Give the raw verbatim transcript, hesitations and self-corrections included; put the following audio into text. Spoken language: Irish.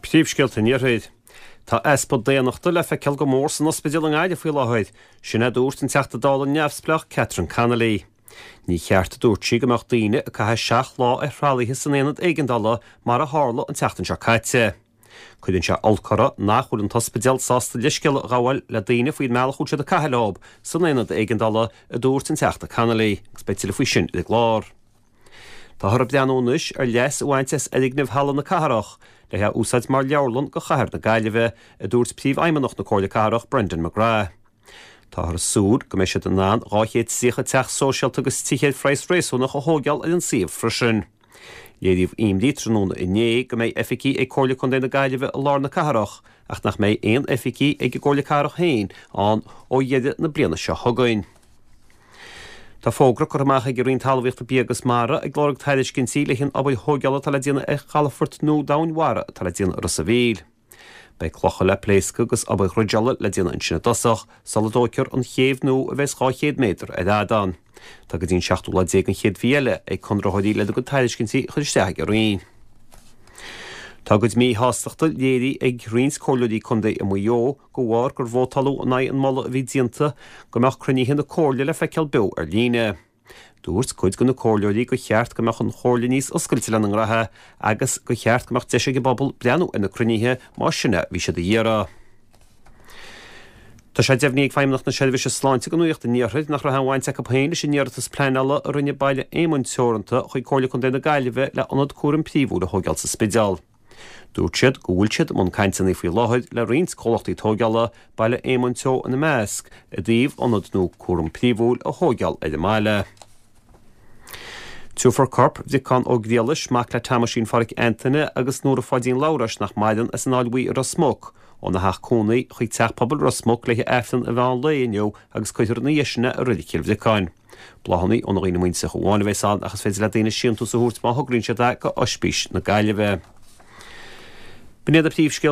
Príomhscéalta an Iarthair. Tá easpa daonnachta le feiceáil go mór san ospidéal i nGaillimh faoi láthair, sin a dúirt an Teachta Dála neamhspleách Catherine Connolly. Ní cheart a dúirt sí go mbeadh daoine ag caitheamh seacht lá ar thralaithe san aonad éigeandála mar a tharla an tseachtain seo caite. Cuireann sé olc orthu nach bhfuil an t-ospidéal sásta leithscéal a ghabháil le daoine faoin mbealach a bhfuil siad ag caitheamh leo san aonad éigeandála, a dúirt an Teachta Connolly, agus beidh tuilleadh faoi sin ar an gclár. Táthar ag breathnú anois ar leas a bhaint as fhoirgneamh Halla na Cathrach le é a úsáid mar leabharlann do chathair na Gaillimhe, a dúirt Príomhfheidhmeannach na Comhairle Cathrach Brendan McGrath. Táthar ag súil go mbeidh siad in ann dhá chéad tríocha teach sóisialta agus tithe ar phraghas réasúnach a thógáil ar an suíomh freisin. Léiríodh imní tráthnóna inné go mbeidh oifigí ag Comhairle Contae na Gaillimhe i lár na cathrach ach nach mbeidh aon oifigí ag an gComhairle Cathrach féin ann ó dheireadh na bliana seo chugainn. Tá fógra curtha amach ag an Roinn Talmhaíochta, Bia agus Mara ag lorg tairiscintí le haghaidh an obair thógála atá le déanamh ar chalafort nua domhainmhara atá le déanamh i Ros an Mhíl. Beidh clocha le pléascadh agus obair dhruideála le déanamh ansin i dtosach, sula dtógfar an chéibh nua a bheas dhá chéad méadar ar fhad ann. Tá go dtí an seachtú lá déag den chéad mhí eile ag conraitheoirí lena gcuid tairiscintí a chur isteach ag an Roinn. Tá a gcuid míshástachta léirithe ag roinnt comhairleoirí contae i Maigh Eo de bharr gur vótáladh in aghaidh an moladh a bhí déanta go mbeadh cruinnithe na comhairle le feiceáil beo ar líne. Dúirt cuid de na comhairleoirí gur cheart go mbeadh an chomhairle níos oscailte lena ngraithe agus gur cheart go mbeadh deis ag an bpobal breathnú ar na cruinnithe más sin a bhí siad a iarraidh. Tá sé deimhnithe ag Feidhmeannacht na Seirbhíse Sláinte do Nuacht an Iarthair nach raibh aon bhaint acu féin leis an iarratas pleanála a rinne Baile Éamoinn Teoranta chuig Comhairle Contae na Gaillimhe le ionad cúraim príomhúil a thógáil sa Spidéal. Dúirt siad go bhfuil siad i mbun cainteanna faoi láthair le roinnt comhlachtaí tógála, Baile Éamoinn Teo ina measc, i dtaobh ionad nua cúraim príomhúil a thógáil ar an mbaile. Tabharfar corp Bhriocán Ó Griallais, mac le Tomaisín Pháraic Antaine agus Nóra Pháidín Labhráis nach maireann as an Fháil Bhuí i Ros Muc, óna theach cónaí chuig Teach Pobail Ros Muc le haghaidh Aifreann an mheán lae inniu agus cuirfear ina dhiaidh sin é i Reilig Chill Bhriocáin. Bláthanna ó na dhaoine muinteartha amháin a bheas ann ach is féidir le daoine síntiús a thabhairt má thograíonn siad é go Ospís na Gaillimhe. B'in iad na príomhscéalta.